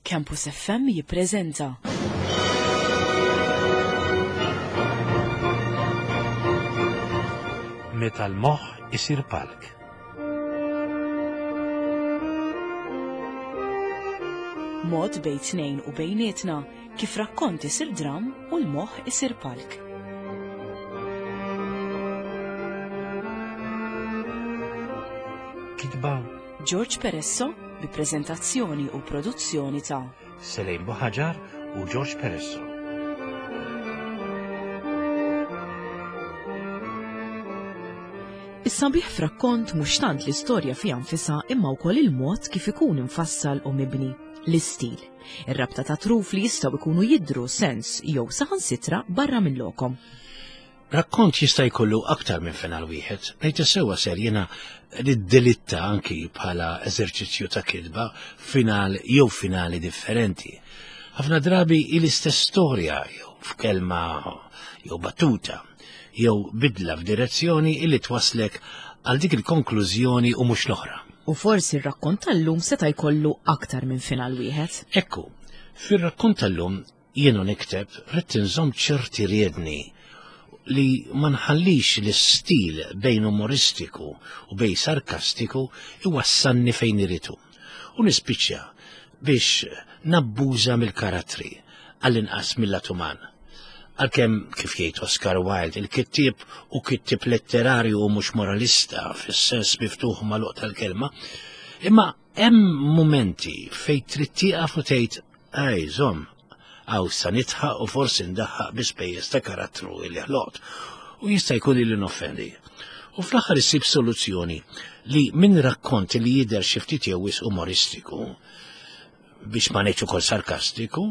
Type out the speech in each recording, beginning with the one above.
Campus FM jippreżenta. Meta l-moħħ isir palk. Mod bejn tnejn u bejnietna kif rakkont isir dram u l-moħħ isir palk. Kitba George Peresso bi preżentazzjoni u produzzjoni ta' Selejn Buħaġar u George Peresso. Is-sabiħ f'rakkont mhux tant l-istorja fiha nfisha imma wkoll il-mod kif ikun imfassal u mibni, l-istil, ir-rabta ta' truf li jistgħu jkunu jidhru sens jew saħansitra barra minn lokhom. Rakkont jista' jkollu aktar minn final wieħed, ngħid is-sewwa ser jiena niddelitta anki bħala eżerċizzju ta' kitba final jew finali differenti. Ħafna drabi hi l-istess storja jew f'kelma jew battuta jew bidla f'direzzjoni illi twaslek għal dik il-konklużjoni u mhux l-oħra. U forsi r-rakkont tal-lum seta' jkollu aktar minn final wieħed. Ekku, fir-rakkont tal-lum Jien u nikteb ridt inżomm ċerti riedni li ma nħallix l-istil bejn umoristiku u bejn sarkastiku iwassalni fejn irid hu. U nispiċċa biex nabbuża mill-karattri, għall-inqas mill-lat uman. Għalkemm, kif jgħid Oscar Wilde, il-kittieb hu kittieb letterarju u mhux moralista fis-sens miftuħ u magħluq tal-kelma, imma Hemm mumenti fejn trid tieqaf u tgħid, Ej, żomm, hawn sa nidħaq u forsi ndaħħaq bi spejjeż ta' karattru li ħloqt u jista' jkun li noffendi. U fl-aħħar issib soluzzjoni li minn rakkont li jidher xi ftit jew wisq umoristiku, biex ma ngħidx ukoll sarkastiku,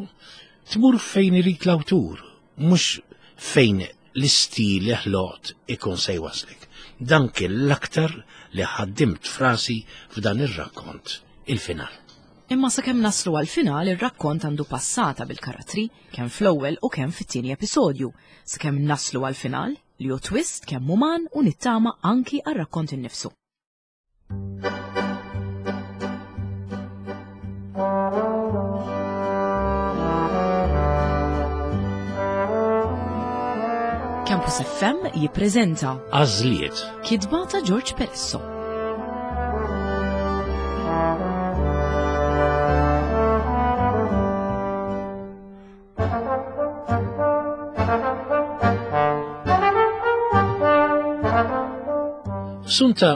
tmur fejn irid l-awtur, mhux fejn l-istil li ħloqt ikun se jwasslek. Dan kien l-aktar li ħaddimt f'rasi f'dan ir-rakkont, il-final. Imma sakemm naslu għall-final ir-rakkont għandu passata bil-karattri, kemm fl-ewwel u kemm fit-tieni episodju, sakemm naslu għall-final, li hu twist kemm uman u nittama anki għar-rakkont innifsu. Campus FM jippreżenta Għażliet. Kitba ta' George Peresso. Sunta,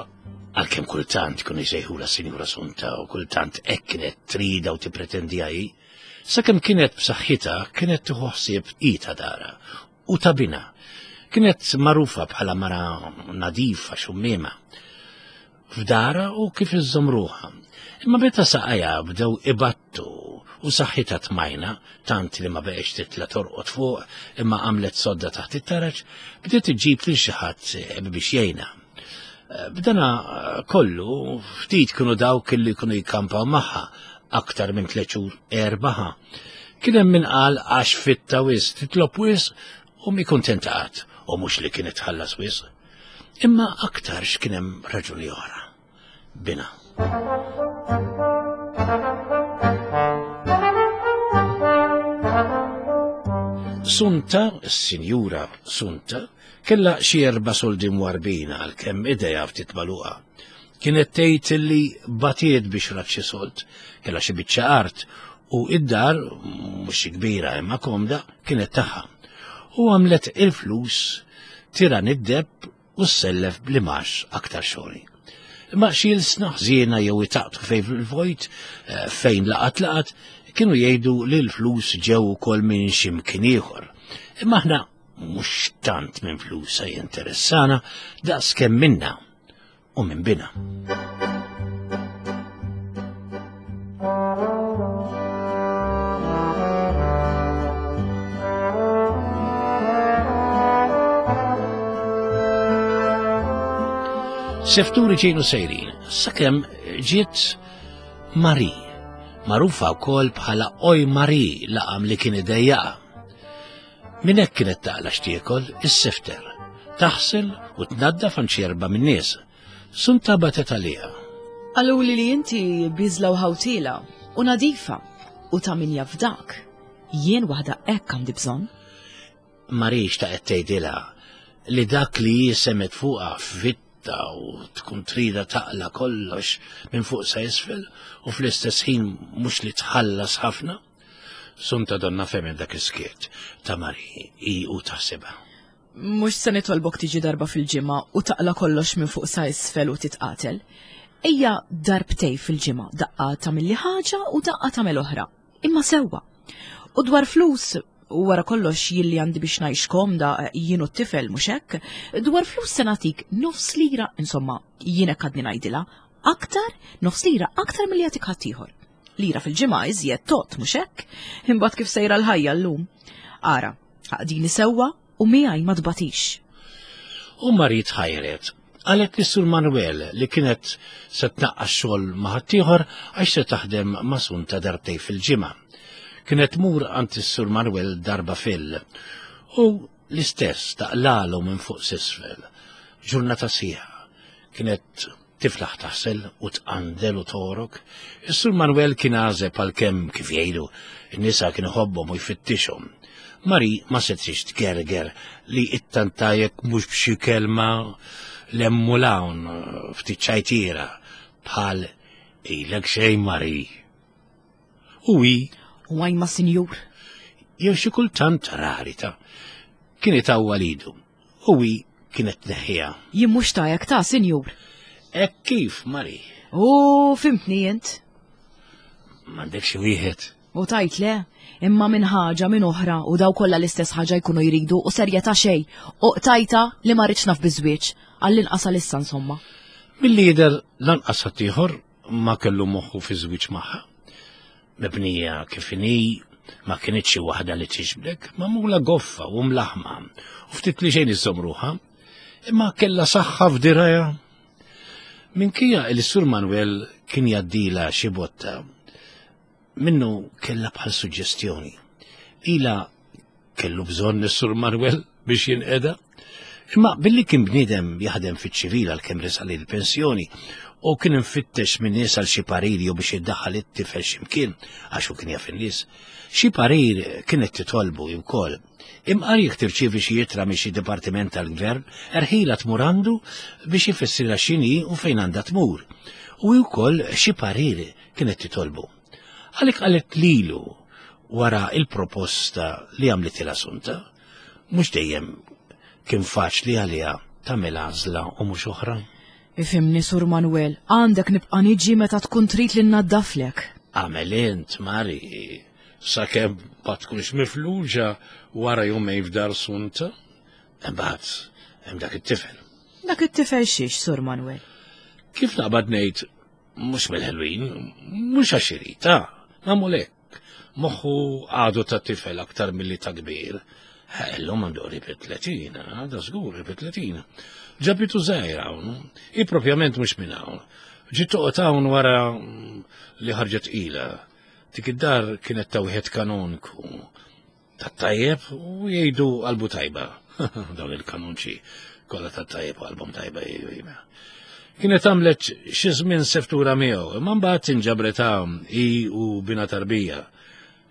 għalkemm kultant kienu jsejħula Sinjura Sunta u kultant hekk kienet trida u tippretendi hi, sakemm kienet b'saħħitha kienet tieħu ħsieb hi ta' dara u ta' binha. Kienet magħrufa bħala mara nadifa xummiema. f'darha u kif iżżomm ruħha. Imma meta saqajha bdew ibattu u saħħitha tmajna, tant li ma beqgħetx titla' torqod fuq imma għamlet sodda taħt it-taraġ, bdiet iġġib lil xi ħadd biex jgħinha. B'dana kollu ftit kienu dawk li kienu jikkampaw magħha aktar minn tliet xhur erbaħa. Kien hemm min qal għax fitta wisq, titlob wisq u mi kuntenta qatt u mhux li kienet tħallas wisq. Imma aktarx kien hemm raġuni oħra. Bina. Sunta, s-sinjura Sunta, kella xi erba' soldi mwarbina għalkemm idejha ftit magħluqa. Kienet tgħid li batiet biex rat xi sold, kellha xi biċċa art u id-dar mhux xi kbira imma komda kienet tagħha. U għamlet il-flus tiran id-deb u ssellef bl-imax aktar xogħli. Imma xi ilsna ħżiena jew itaqtqu fejn fil-vojt eh, fejn laqat laqat kienu jgħidu li l-flus ġew ukoll minn xi mkien ieħor. Imma aħna mhux tant minn flusa jinteressana daqs kemm minna u minn bina. Sefturi ġejnu sejrin, sakemm ġiet Mari, magħrufa wkoll bħala Oj Mari laqam li kien idejjaqa. Minn hekk kienet taqla' x'tiekol, issifter, taħsel u tnaddaf għand xi erba' min-nies. Sunta bagħtet għaliha. Qaluli li inti bieżla u ħawtiela u nadifa. U ta' min jafdak, jien waħda hekk għandi bżonn. Marix ta' qed tgħidilha li dak li hi semgħet fuqha f'vitta u tkun trida taqla kollox minn fuq sa isfel u fl-istess ħin mhux li tħallas ħafna. Sunta donna femen dak is-skiet ta' Mari hi u taħsibha. Mhux se nitolbok tiġi darba fil-ġimgħa u taqla kollox minn fuq sa isfel u titqatel. Ejja darbtej fil-ġimgħa, daqqa tagħmilli ħaġa u daqqa tagħmel oħra. Imma sewwa. U dwar flus, u wara kollox jien li għandi biex ngħix komda jien u t-tifel mhux hekk, dwar flus se nagħtik nofs lira, insomma, jien hekk għadni ngħidilha, aktar, nofs lira aktar milli jagħtik ħaddieħor. Lira fil-ġimgħa iżjed tot, mhux hekk? Imbagħad kif sejra l-ħajja llum. Ara, aqdini sewwa u miegħi ma tbatix. U Marie tħajret. Qalet lis Sur Manuel li kienet se tnaqqas xogħol ma' ħaddieħor għax se taħdem ma' Sunta darbtej fil-ġimgħa. Kienet tmur għand is-Sur Manuel darba fil. U l-istess taqlalu minn fuq s'isfel. Ġurnata sħiħa. Kienet Tiflaħ taħsel u tqandel u togħrok. Is-Sur Manuel kien għażeb għalkemm, kif jgħidu, in-nisa kien iħobbhom u jfittixhom. Mari ma setgħetx tgerger li ittanta jekk mhux b'xi kelma 'l hemm u 'l hawn ftit ċajtiera bħal ilek xejn Mari. U hi. U għajma sinjur. Jew xi kultant rari ta' kien itawwal idu. U hi kienet tneħħiha. Jien mhux tajek ta' sinjur. Hekk kif, Mari. U fimtni int. M'għandek xi wieħed. U tajt le, imma minn ħaġa minn oħra u daw kollha l-istess ħaġa jkunu jridu u serjetà xejn. U qtajta li ma rridx naf biż-żwieġ, għall-inqas għalissa insomma. Milli jidher lanqas ħaddieħor ma kellu moħħu fi żwieġ magħha. Mibnija kif inhi, ma kinitx xi waħda li tiġbdek, magħmula goffa u mlaħma, u ftit li xejn iżżomm ruħha, imma kellha saħħa f'dirajha. Minkejja li Sur Manuel kien jgħaddilha xi botta, minnu kellha bħal suġġestjoni. Ilha Kellu bżonn is-Sur Manuel biex jinqeda. Imma billi kien bniedem jaħdem fiċ-ċivil għalkemm resaq lejn il-pensjoni u kien imfittex minn nies għal xi parir jew biex iddaħħal it-tifel x'imkien għax hu kien jaf in-nies. Xi parir kienet titolbu hi wkoll. Imqar jekk tirċievi xi ittra minn xi dipartiment tal-gvern, erħilha tmur għandu biex ifissrilha x'inhi u fejn għandha tmur. U hi wkoll xi parir kienet titolbu. Għalhekk qalet lilu wara il-proposta li għamlitilha Sunta. Mhux dejjem kien faċli għaliha tagħmel għażla u mhux oħra. Ifhimni, Sur Manuel, għandek nibqa' niġi meta tkun trid li nnaddaflek. Agħmel int, Mari, sakemm ma tkunx mifluġa wara jumejn f'dar Sunta. Imbagħad hemm dak it-tifel. Dak it-tifel xiex, Sur Manuel? Kif naqbad ngħid Mhux mill-ħelwin, mhux għax irid, ta' nagħmlu hekk. Moħħu għadu ta' tifel aktar milli ta' kbir. Illum għandu qrib it-tletin, għadha żgur qrib it-tletin. Ġabitu żgħira hawn, hi propjament mhux minn hawn. Ġiet toqgħod hawn wara li ħarġet tqila. Dik id-dar kienet ta' wieħed kanonku. Tat-tajjeb u jgħidu qalbu tajba. Dawn il-kanunċi kollha tat-tajjeb u qalbhom tajba jgħidu. Kienet għamlet xi żmien seftura miegħu, imma mbagħad inġabret hawn hi u bina tarbija.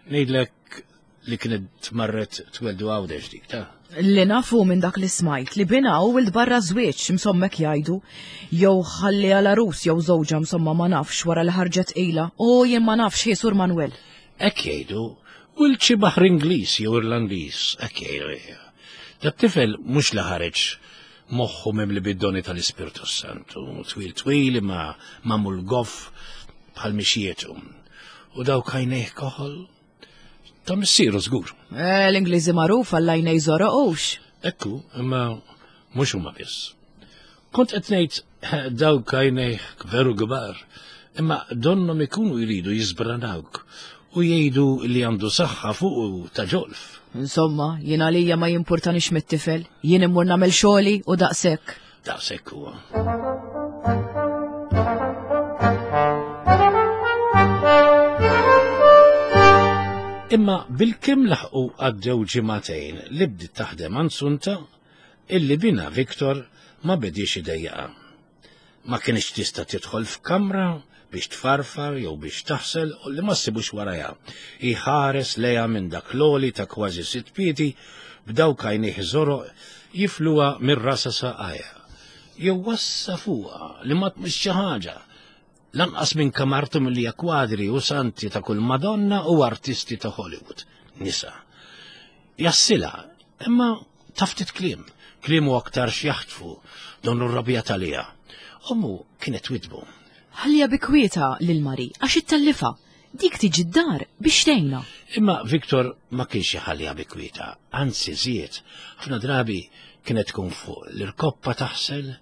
Ngħidlek li kienet marret tweldu għawdex dik ta' Li nafu minn dak li smajt li bina u wild barra żwieġ msommek jgħidu jew ħalli għal arus jew żewġha msomma ma nafx wara li ħarġet qila u jien ma nafx hi Sur Manuel. Hekk jgħidu, wild xi baħar Ingliż jew Irlandiż, hekk jgħidu. Dat-tifel mhux li ħareġ moħħu mimli bid-doni tal-Ispirtu Santu, twil twil imma magħmul goff bħal mixjietu. U dawk għajnejh koħol ta' missieru żgur. Eh, L-Ingliżi magħruf għall-għajnej żoroqux. Ekku, imma mhux huma biss. Kont qed ngħid dawk għajnejh veru kbar, imma donnhom ikunu jridu jiżbranawk u jgħidu li għandu saħħa fuqu ta' ġolf. Insomma, jien għalija ma jimpurtanix mit-tifel, jien immur nagħmel xogħli u daqshekk. Daqshekk huwa. Imma bil-kemm laħqu għaddew ġimagħtejn li bdiet taħdem għand Sunta, illi binha Victor ma bediex idejjaqha. Ma kinitx tista' tidħol f'kamra biex tfarfar jew biex taħsel u li ma ssibux warajha. Iħares lejha minn dak l-għoli ta' kważi sitt piedi b'dawk għajnejh żoroq jifluha minn rasha saqajha. Jew wassa fuqha li ma tmissx xi ħaġa. Lanqas minn kamartu milli kwadri u santi ta' kull Madonna u artisti ta' Hollywood. Nisa. Jassilha, imma ta' ftit kliem. Kliemu aktar x'jaħtfu, donnu rrabjat għaliha. Ommu kienet twidbu. Ħalliha bi kwieta lil Mari għax ittellifha. Dik tiġi d-dar biex tgħinha. Imma Victor ma kienx iħalliha bi kwieta, anzi żied. Ħafna drabi kienet tkun fuq l-irkoppa taħsel,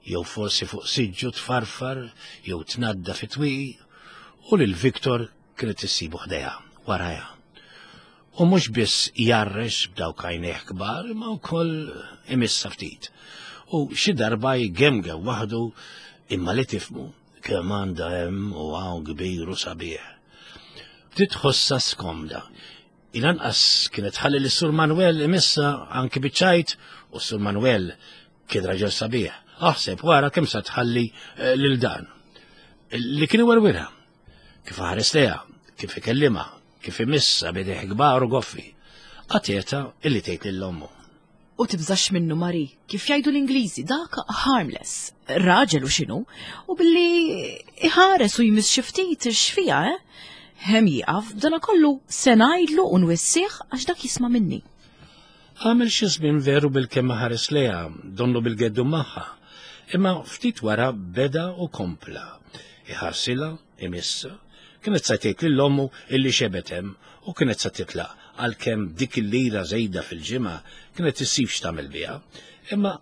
jew forsi fuq siġġu tfarfar, jew tnadda fi twieqi, u lil Victor kienet issibu ħdejha, warajha. U mhux biss jgħarrex b'dawk għajnejh kbar imma wkoll imissha ftit. U xi darba jgemgem waħdu imma li tifhmu kemm għandha hemm u hawn kbir u sabiħ. Bdiet tħossha skomda. Il-anqas kienet tħalli lis Sur Manuel imissha anki biċ-ċajt u Sur Manuel kien raġel sabiħ. Aħseb wara kemm sa tħalli eh, lil dan. Li kien iwerwirha. Kif ħares lejha, kif ikellimha, kif imissha b'idejh kbar u goffi. Qatgħetha illi tgħid lil ommu. U tibżax minnu Mari, kif jgħidu l-Ingliżi, dak harmless, raġel u x'inhu, u billi iħares u jmiss xi ftit x'fiha, eh? Hemm jieqaf, b'dana kollu se ngħidlu u nwissih għax dak jisma' minni. Għamel xi żmien veru bilkemm ħares lejha, donnu bil-geddu magħha, imma ftit wara beda u kompla. Iħarsilha, imissha, kienet sa tgħid lil ommu illi xebgħet hemm u kienet sa titlaq għalkemm dik il-lira żejda fil-ġimgħa kienet issib x'tagħmel biha. Imma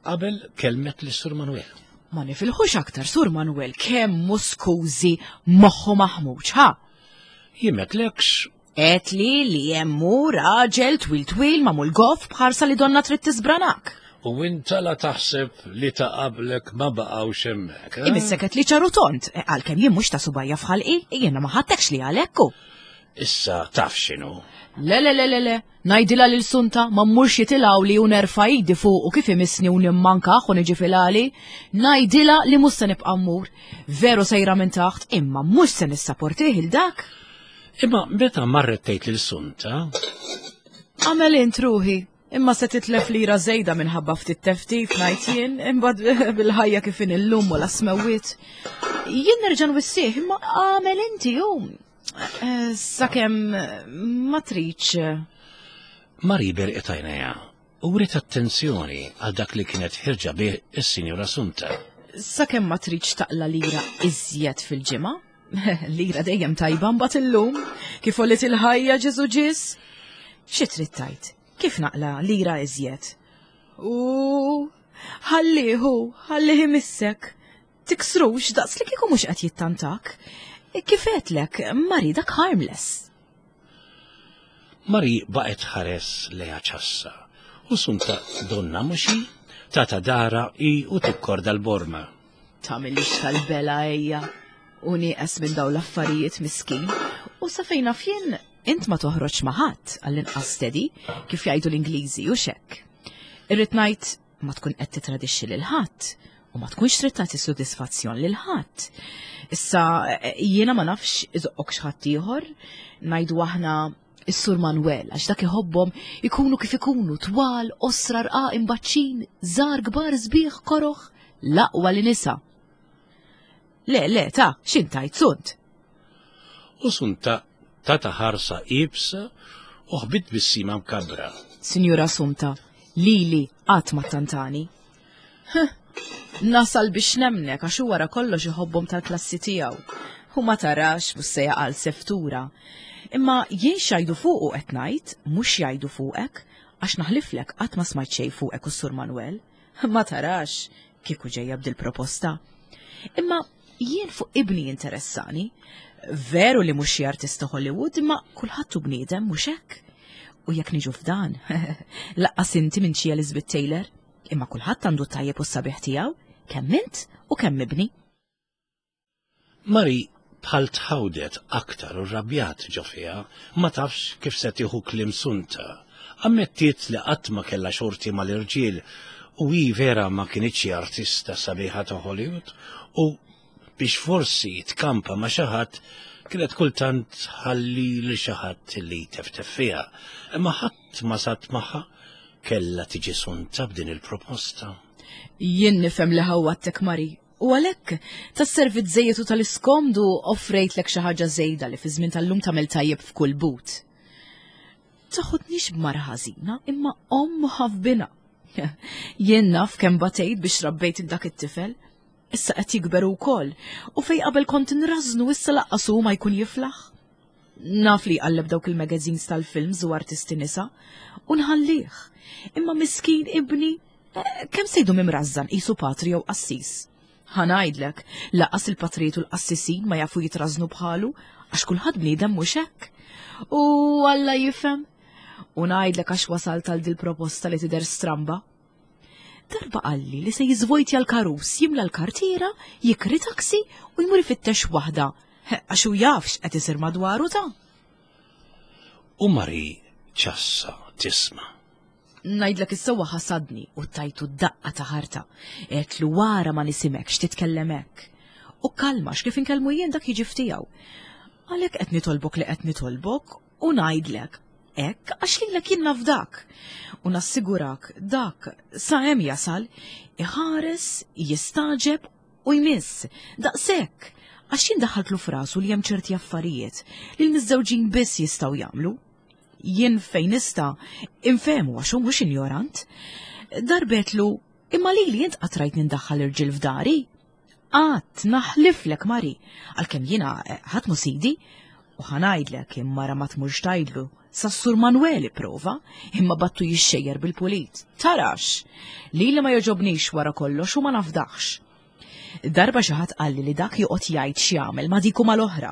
qabel kellmet lis Sur Manuel. Ma nifilħux aktar Sur Manuel kemm hu skużi moħħu maħmuġ, ha? Jien m'għedtlekx Għedtli li hemm hu raġel twil twil magħmul goff b'ħarsa li donna trid tisbranak. U inta la taħseb li ta' qablek ma baqgħux hemmhekk. Eh? Imissek qed li ċaru tont, eh, għalkemm jien mhux ta' subajja f'ħalqi, jiena ma ħadtekx li għalhekk hu. Issa taf x'inhu. Le le le le le, ngħidilha lil Sunta ma mmurx jitilgħu li u nerfa' idi fuq u kif imissni u nimmankaħ u niġi fil-għali. Ngħidilha li mhux se nibqa' mmur. Veru sejra minn taħt, imma mhux se nissaportih il dak. Imma meta marret tgħid lil Sunta? Għamel int ruħi, imma se titlef lira żejda minħabba ftit teftif ngħid jien, imbagħad bil-ħajja kif in illum u la smewwiet. Jien nerġa' nwissih, imma għamel inti hu. Eh, sakemm ma tridx. Mari berqet għajnejha u wriet attenzjoni għal dak li kienet ħirġa bih is-Sinjura Sunta. Sakemm ma tridx taqla lira iżjed fil-ġimgħa, lira dejjem tajba mbagħad illum, kif għolit il-ħajja Ġesu ġis. Xi trid tajt? Kif naqla lira iżjed? U ħallihu, ħallih imissek. Tiksrux daqs li kieku mhux qed jittantak. Kif għedtlek, Mari dak harmless. Mari baqgħet tħares lejha ċassa u Sunta donna mhux hi, tata dara hi u tikkorda l-borma. Tagħmilix tal-bela ejja u nieqes minn dawn l-affarijiet miskin u sa fejn naf jien int ma toħroġ ma' ħadd għall-inqas steady kif jgħidu l-Ingliżi u x'hekk. Irrid ngħid ma tkun qed titradixxi lil ħadd u ma tkunx trid tagħti sodisfazzjon lil ħadd. Issa jiena ma nafx iżoqqok x'ħadd ieħor, ngħidu aħna is-Sur Manuel għax dak iħobbhom ikunu kif ikunu twal, qosra rqaq imbaċċin, żgħar kbar sbieħ koroħ, l-aqwa li nisa. Le, le, ta' x'intajt sunt? U Sunta tata ħarsa iebsa u ħbit tbissima mkabbra. Sinjura Sunta, lili qatt ma ttantani. Nasal biex nemnek għax hu wara kollox iħobbhom tal-klassi tiegħu. U ma tarax mhux se jaqa' l-seftura. Imma jien x'jgħidu fuqu qed ngħid, mhux x'jgħidu fuqek, għax naħliflek qatt ma smajt xejn fuqek u s-Sur Manuel. Ma tarax kieku ġejja b'dil-proposta. Imma jien fuq ibni jinteressani. Veru li mhux xi artista Hollywood, imma kulħadd hu bniedem mhux hekk. U jekk niġu f'dan, laqqas inti minn xi Elizabeth Taylor, imma kulħadd għandu t-tajjeb u s-sabiħ tiegħu, kemm int u kemm ibni. Mari bħal tħawdet aktar u rrabjat ġo fiha, ma tafx kif se tieħu kliem Sunta. Ammettiet li qatt ma kellha xorti mal-irġiel u hi vera ma kinitx xi artista sabiħa ta' Hollywood u. biex forsi tkampa ma' xi ħadd kienet kultant tħalli li xi ħadd li jteftef fiha. Imma ħadd ma sat magħha kellha tiġi sunta b'din il-proposta. Jien nifhem li ħawwadtek Mari, u għalhekk tas-servizz żejjed u tal-iskomdu offrejtlek xi ħaġa żejda li fi żmien tal-lum tagħmel tajjeb f'kull but. Taħodnix b'mara ħażina imma omm ħafbina. Jien naf kemm batejt biex rabbejt dak it-tifel. Issa qed jikber wkoll u fej qabel kont nrażnu issa laqqas hu ma jkun jiflaħ. Naf li jqalleb dawk il-magazines tal-films u artisti nisa u nħallih. Imma miskin ibni, eh, kemm se jdum imrażżan qisu patri jew qassis. Ħa ngħidlek, laqas il-patrijiet u l-qassisin ma jafu jitrażnu bħalu għax kulħadd bniedem mhux hekk. U Alla jifhem. U ngħidlek għax wasalt għal dil-proposta li tidher stramba. Darba qalli li se jiżvojtja l-karus, jimla l-kartiera, jikri taksi u jmur ifittex waħda. Għax hu jaf x'qed isir madwaru ta'. U Mari ċassa tisma'. Ngħidlek is-sewwa ħasadni u tajtu daqqa ta' ħarta. Għedtlu wara ma nisimgħekx titkellem hekk. U kalma kif inkellmu jien dak jiġi ftiegħu. Għalhekk qed nitolbok li qed nitolbok u ngħidlek hekk għax lilek jien nafdak. U nassigurak dak sa hemm jasal iħares, jistaġeb u jmiss. Daqshekk għax jien daħħaltlu f'rasu li hemm ċerti affarijiet li l-miżżewġin biss jistgħu jagħmlu. Jien fejn nista' infehmu għax hu mhux injorant. Darbetlu, imma lili int qatt rajt nindaħħal irġiel f'dari? Qatt naħliflek Mari, għalkemm jiena eh, ħadd mhu sidi, u ħanajdlek imma ra ma tmurx tgħidlu Sassur Manuel ipprova, imma battu jixxejjer bil-pulit. Tarax! Lili ma joġobnix wara kollox u ma nafdaħx. Darba xi ħadd qalli li dak joqgħod jgħid x'jagħmel ma' dik u mal-oħra.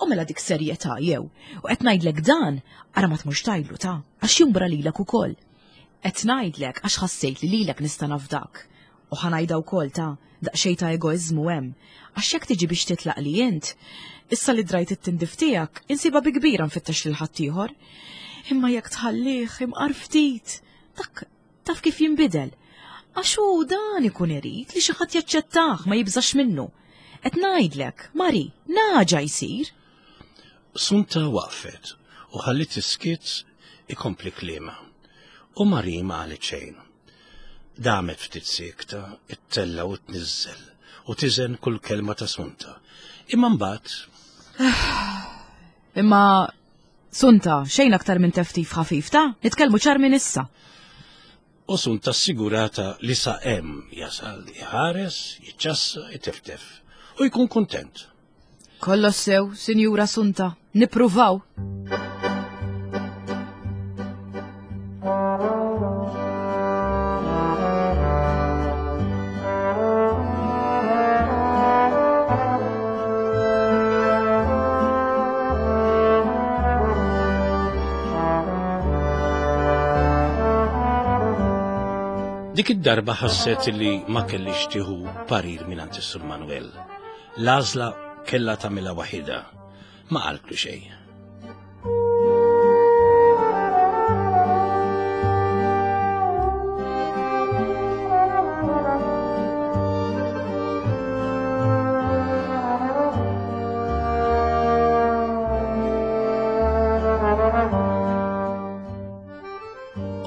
U mela dik serjetà jew. U qed ngħidlek dan, ara ma tmurx tgħidlu ta' għax jumbra lilek ukoll. Qed ngħidlek għax ħassejt li lilek nista' nafdak. U ħa ngħidha wkoll ta' daqsxejn ta' egoiżmu hemm. Għax jekk tiġi biex titlaq li int, issa li drajt it-tindif tiegħek, insibha bi kbira nfittex lil ħaddieħor. Imma jekk tħallih imqar ftit, dak Taf kif jinbidel? Għax hu dan ikun irid li xi ħadd jaċċettah ma jibżax minnu. Qed ngħidlek, Mari, naġa jsir. Sunta waqfet u ħalliet is-skiet ikompli kliemha. U Mari ma qalet xejn. Damet ftit siekta, ittella' u tniżżel u tiżen kull kelma ta' Sunta. Imma mbagħad Imma Sunta, xejn aktar minn teftif ħafif ta' nitkellmu ċar minn issa. U Sunta assigurata li sa hemm jasal iħares, jiċċassa, iteftef u jkun kuntent. Kollox sew, Sinjura Sunta, nippruvaw. Dik id-darba ħasset li ma kellix tieħu parir minn is-Sur Manuel. L-għażla kellha tagħmilha waħidha. Ma qaltlu xejn.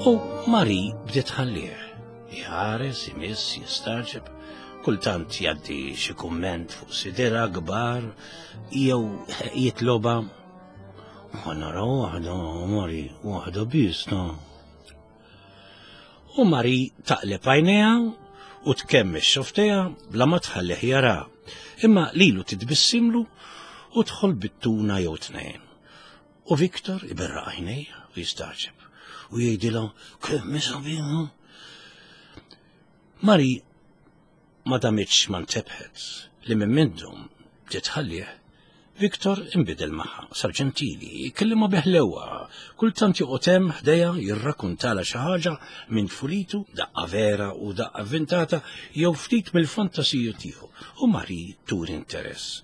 U Mari bdiet ħallih, jħares, imiss, jistaġeb, kultant jgħaddi xi kumment fuq sidera kbar jew jitloba Ħa nara waħda, Mari, waħda biss ta. U Mari taqleb għajnejha u tkemmex xofteha bla ma tħallih jara. Imma lilu titbissimlu u tħol bittuna jew tnejn. U Viktor iberraq għajnejh u jistaġeb u jgħidilha kemm sabiħa. Mari Ma damitx ma ntebħet li minn mindu bdiet tħallih, Victor inbidel magħha, sar ġentili, jkellimha bi ħlewwa, kultant joqgħod hemm ħdejha jirrakkuntalha xi ħaġa minn tfulitu, daqqa vera u daqqa vvintata jew ftit mill-fantasiji tiegħu, u Marie turi interess.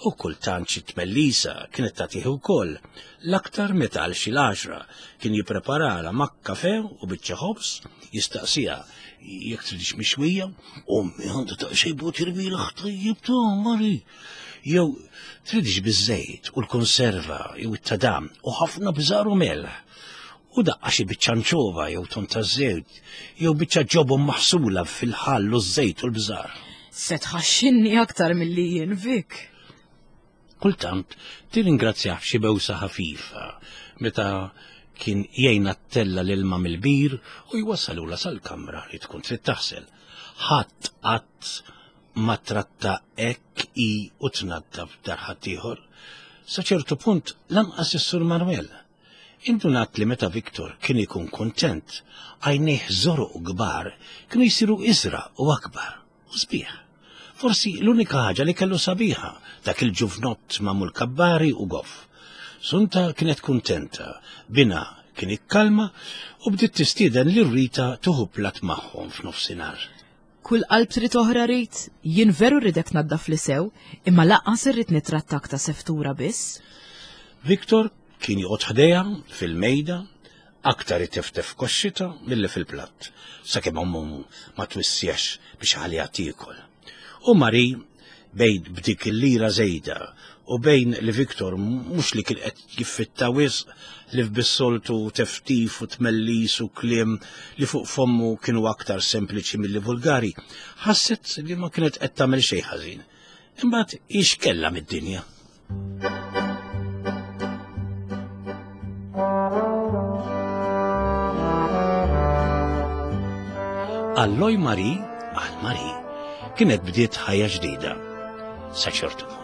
U kultant xi tmellisa kienet tagħtih ukoll, l-aktar meta għal xi l-għaxra kien jippreparalha ma' kafè u biċċa ħobż, jistaqsiha jekk tridx mixwija, ommi għandha daqsxejn butir mielaħ tajjeb ta' Mari. Jew tridx biż-żejt u l-konserva jew it-tadam u ħafna bżar u melħ. U daqqa xi biċċa nċova jew ton ta' żejt jew biċċa ġobon maħsula fil-ħall u ż-żejt u l-bżar. Se tħaxxinni aktar milli jien Vic. Kultant tirringrazzjah b'xi bewsa ħafifa meta kien jgħinha ttella' l-ilma mill-bir u jwassalulha sal-kamra li tkun trid taħsel. Ħadd qatt ma tratta hekk hi u tnaddaf dar ħaddieħor. Sa ċertu punt lanqas is-Sur Manuel. Indunat li meta Victor kien ikun kuntent, għajnejh żoroq u kbar kienu jsiru iżraq u akbar u sbieħ. Forsi l-unika ħaġa li kellu sabiħa, dak il-ġuvnott magħmul kabbari u goff. Sunta kienet kuntenta, binha kien ikkalma u bdiet tistieden lil Rita tieħu platt magħhom f'nofsinhar. Kull qalb trid oħra Rit, jien veru rridek tnaddafli sew, imma lanqas irrid nitrattak ta' seftura biss. Victor kien joqgħod ħdejha fil-mejda, aktar iteftef koxxitha milli fil-platt, sakemm ommu ma twissiex biex iħalliha tiekol. U Marie, bejn b'dik il-lira żejda u bejn li Victor mhux li kien qed jiffitta wisq li bis-soltu teftif u tmellis u kliem li fuq fommu kienu aktar sempliċi milli vulgari, ħasset li ma kienet qed tagħmel xejn ħażin. Imbagħad hi x'kellha mid-dinja? Għal Loj Marie, għal Marie, kienet bdiet ħajja ġdida, sa ċertu punt.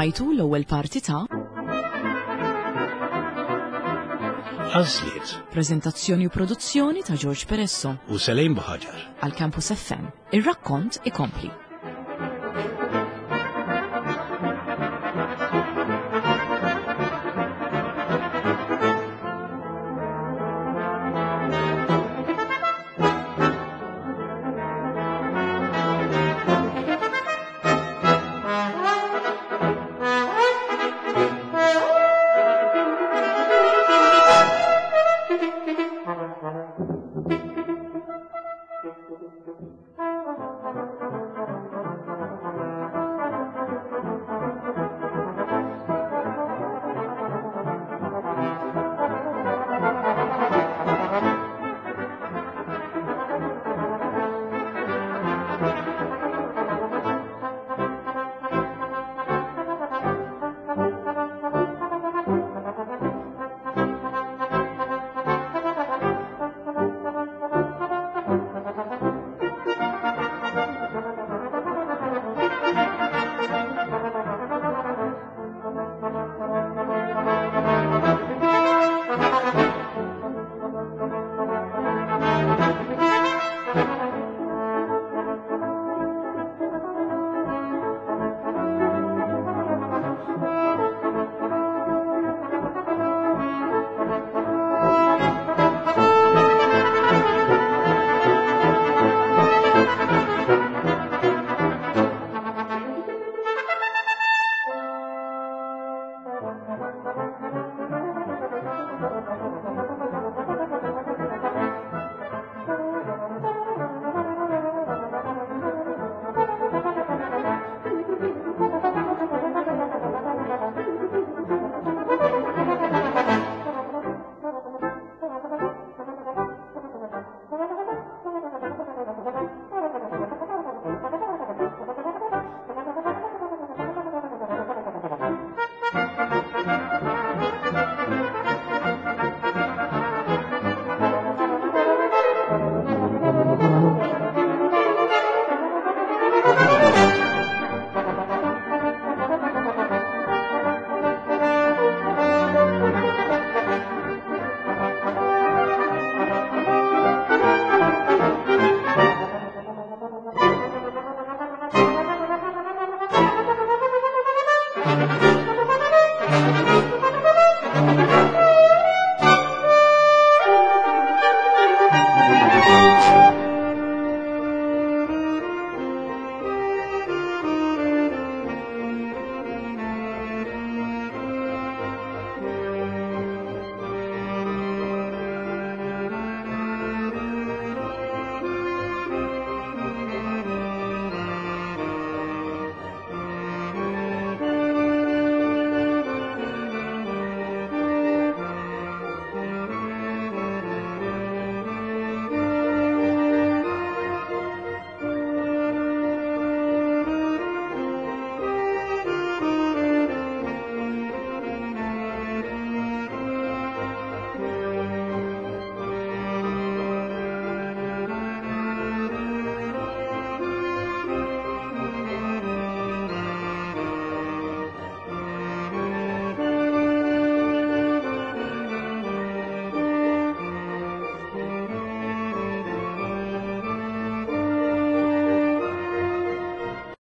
Smajtu l-ewwel parti ta' Għażliet. Preżentazzjoni u produzzjoni ta' George Peresso. U Selejn Buħaġar. Għal Campus FM. Ir-rakkont ikompli. Thank you.